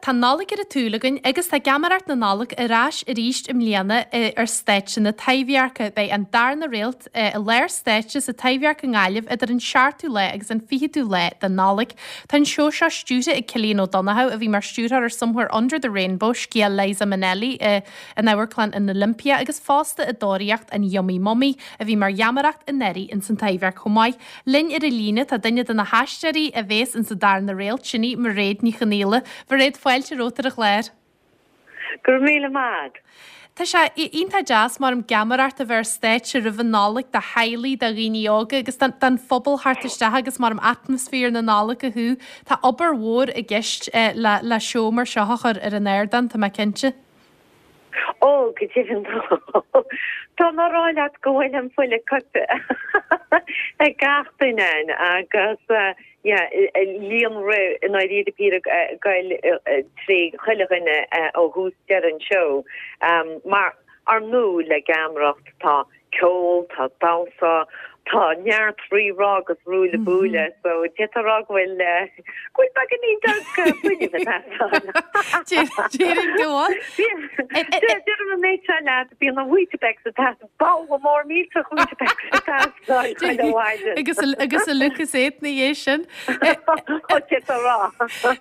Tá an Nollaig ar an tsúil againn agus tá Geamaireacht na Nollag ar ais arís i mbliana ar stáitse na Taibhdheirce. Beidh An Darna Réalt i lár stáitse sa Taibhdhearc i nGaillimh idir an seachtú lá agus an fichiú lá de Nollaig. Tá an seó seo stiúrtha ag Cillian Ó Donnchadha, a bhí mar stiúrthóir ar Somewhere Under the Rainbow, scéal Liza Minnelli in Amharclann an Olympia agus fosta i dTóraíocht an Yummy Mummy, a bhí mar gheamaireacht anuraidh ins an Taibhdhearc chomh maith. Linn ar an líne tá duine de na haisteoirí a bhéas ins an darna réalt, sin í Mairéad Ní Chonaola. Mhairéad, fáilte romhat ar an chlár. Go raibh míle maith agat. Tá sé iontach deas mar geamaireacht a bheith ar stáitse roimh an Nollaig do theaghlaigh, do dhaoine óga agus don phobal theacht isteach agus mar atmaisféar na Nollag a shú. Tá obair mhór i gceist le seó mar seo a chur ar an ardán, tá mé cinnte. Ó, go deimhin tá. Tá mé a rá leat go bhfuil an fuil ag coipeadh ag gach duine ann agus yeah líonrith i ndáiríre píre ag goil trí chuile dhuine ó thús deireadh an seó. Mar ar ndóigh le geamaireacht tá ceol, tá damhsa, tá neart rí-rá agus ruaille buaille, so d'fhéadfá a rá go bhfuil, go bhfuil beagáinín beag fuinnimh ag teastáil. Déarfainn go bhfuil. Deirim an méid seo leat, bíonn an Weetabix ag teastáil, babhla mór millteach Weetabix ag teastáil chuile mhaidin. Agus agus a Lucozade ina dhiaidh sin. Ó, d'fhéadfá a rá.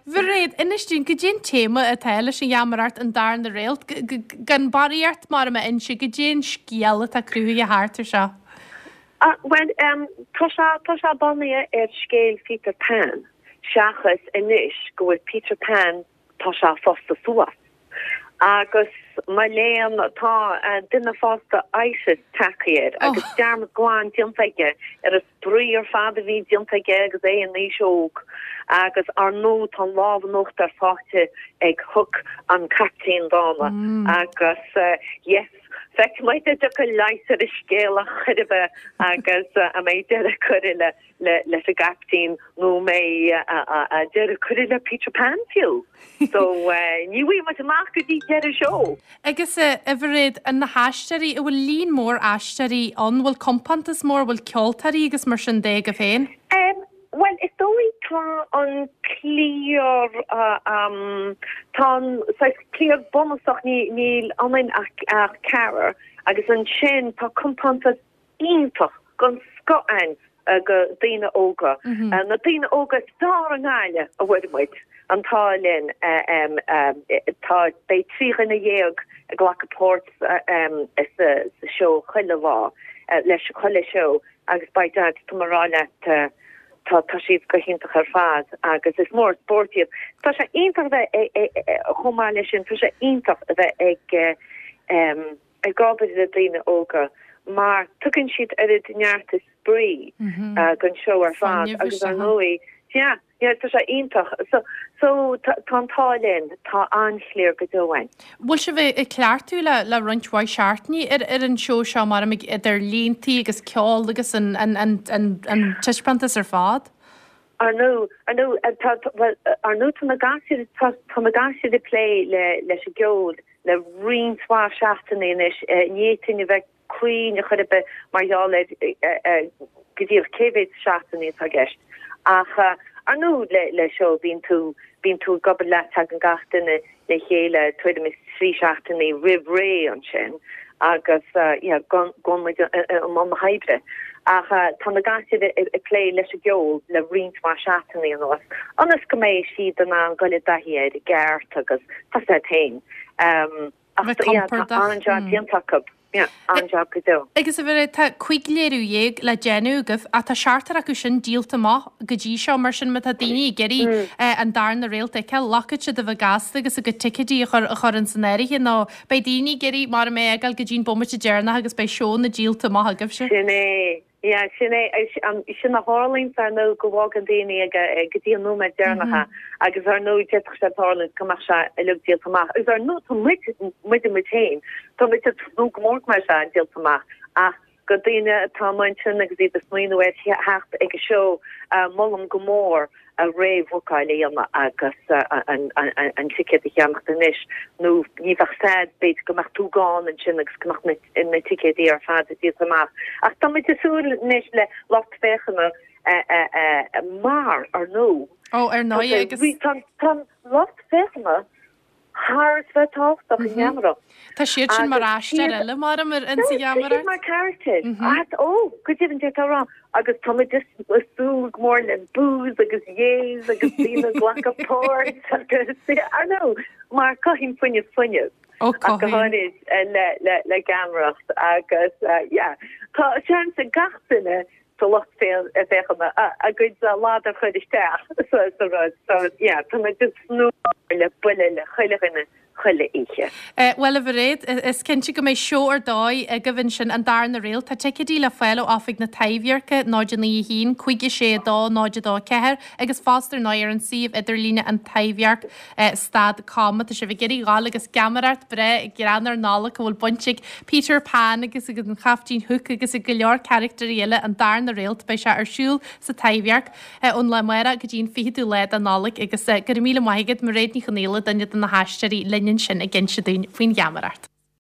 Mhairéad, inis dúinn, goidé an téama atá leis an gheamaireacht an darna réalt, gan barraíocht mar a inse, goidé an scéal atá cruthaithe thart ar seo. Bhuel, tá sé, tá sé bunaithe ar scéal Pheter Pan, seachas anois go bhfuil Peter Pan, tá sé fásta suas. Agus mo léan, tá duine fásta ISIS tagtha air agus dearmad glan déanta aige ar an spraoi ar fad a bhí déanta aige agus é in aois óg. Agus ar ndóigh tá an lámh in uachtar faighte ag Hook an caiptín dána agus yes, Feicfidh muid an dtiocfaidh leigheas ar an scéal ar chor ar bith agus an mbeidh deireadh curtha leis an gcaiptín nó an mbeidh deireadh curtha le Peter Pan fiú. So ní bhfaighidh muid amach go dtí deireadh seó. Agus a Mhairéad, na haisteoirí, an bhfuil líon mór aisteoirí ann, bhfuil compántas mór, bhfuil ceoltóirí agus mar sin de agaibh féin? Bhuel, is dóigh tá an cliar, tá an saghas cliar bunúsach, níl ionainn ach ceathrar, agus ansin tá compántas iontach den scoth ann de daoine óga, na daoine óga is fearr i nGaillimh a bhfuair muid, an t-ádh linn. Tá, beidh 13 dhuine ag glacadh páirt sa seó chuile lá, leis chuile seó. Agus by dad, tá mé a rá leat, tá, tá siad go hiontach ar fad agus is mór an spórt iad. Tá sé iontach a bheith ag, chomh maith leis sin, tá sé iontach a bheith ag, ag obair le daoine óga mar tugann siad oiread neart is spraoi don seó ar fad agus ar ndóigh, yeah, Yeah, tá sé iontach. So, so tá an t-ádh linn, tá an-chliar go deo ann. Bhfuil sibh ag cleachtadh le le roinnt mhaith seachtainí ar ar an seó seo mar idir líntí agus ceol agus an an an an an taispeántas ar fad? Ar ndóigh, ar ndóigh, tá, bhuel, ar ndóigh tá na gasúir, tá, tá na gasúir ag plé le leis an gceol le roinnt mhaith seachtainí anois. Ní fhéadfainn a bheith cruinn ar chor ar bith mar gheall ar go díreach cé mhéad seachtainí atá i gceist. Ach ar ndóigh le seó bíonn tú, bíonn tú ag obair leat, tagann gach duine le chéile tuairim is 3 seachtainí roimh ré ansin agus yeah gabhann muid i mbun na hoibre. Ach tá na gasúir ag plé leis an gceol le roinnt mhaith seachtainí anuas ionas go mbeidh siad in ann dul i dtaithí air i gceart agus tá a fhios agat féin. Ach Bheith yeah, tá compordach. an-jab déanta acu. Yeah, an-jab go deo. Agus a Mhairéad, tá 15 léiriú le déanamh agaibh ach tá seachtar acu sin díolta amach go dtí seo, mar sin má tá daoine ag iarraidh an darna réalt a fheiceáil, glacfaidh siad a bheith gasta agus a gcuid ticéidí a chur a chur ins an áirithe nó beidh daoine ag iarraidh mar a mbeidh ag gabháil go dtí an bomaite deireanach agus beidh seónna díolta amach agaibhse. Sin é. Yeah, sin é, sin a tharlaíonns ar ndóigh go bhfágann daoine ag go dtí an nóiméad deireanach é agus ar ndóigh d'fhéadfadh sé tarlúint go mbeadh sé uilig díolta amach agus ar ndóigh tá muid, muide muid féin, tá muid ag tnúth go mór go mbeidh sé díolta amach ach go daoine atá amuigh ansin agus iad ag smaoineamh ar theacht ag an seó, molaim go mór a réamhbhookáil a dhéanamh agus an ticéad a cheannacht anois nó ní bheadh a fhios a'd, b'fhéidir go mbeadh tú gann ansin agus go mbeadh na ticéidí ar fad díolta amach. Ach tá muid ag súil anois le lucht féachana mar, ar ndóigh. Ó, ar ndóigh agus. Tá an lucht féachana. thar is bheith tábhachtach i ngeamaireacht. Tá siad sin mar aisteoir eile mar ar insa Tá siad mar character. Ó, go deimhin deir tú a rá. Agus tá muid ag súil go mór le boos agus yeas agus daoine ag glacadh páirt agus, ar ndóigh, mar cothaíonn fuinneamh fuinneamh. Ó, Ach go cothaíonn. háirid le, le, le geamaireacht agus yeah, tá seans ag gach duine sa lucht féachana a gcuid ladar a chur isteach sa rud. So yeah, tá muid ag tnúth le bualadh le chuile dhuine chuile oíche. Bhuel, a Mhairéad, is cinnte go mbeidh seó ar dóigh agaibh ansin, an darna réalt. Tá ticéidí le fáil ó Oifig na Taibhdheirce, 0 9 1 5 6 2 0 2 4, agus fosta ar ndóigh ar an suíomh idirlíne An Taibhdhearc stad com. Má tá sibh ag iarraidh dhul agus geamaireacht breá greannmhar Nollag a bhfuil baint ag Peter Pan agus ag an Chaiftín Hook agus ag go leor caractéirí eile, an darna réalt, beidh sé ar siúl sa Taibhdhearc ón lá amárach go dtí an 20ú lá de Nollaig agus go raibh míle maith agat, Mairéad Ní Chonaola, duine de na haisteoirí linn ansin ag inse dúinn faoin gheamaireacht.